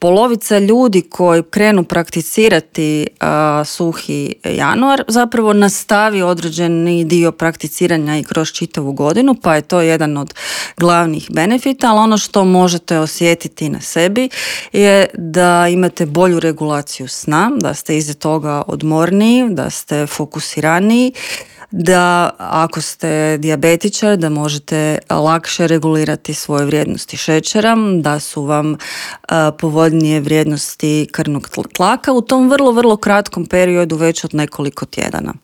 polovica ljudi koji krenu prakticirati suhi januar zapravo nastavi određeni dio prakticiranja i kroz čitavu godinu, pa je to jedan od glavnih benefita, ali ono što možete osjetiti na sebi je da imate bolju regulaciju sna, da ste iza toga odmorniji, da ste fokusiraniji, da ako ste dijabetičar da možete lakše regulirati svoje vrijednosti šećera, da su vam povoljnije vrijednosti krvnog tlaka u tom vrlo, vrlo kratkom periodu već od nekoliko tjedana.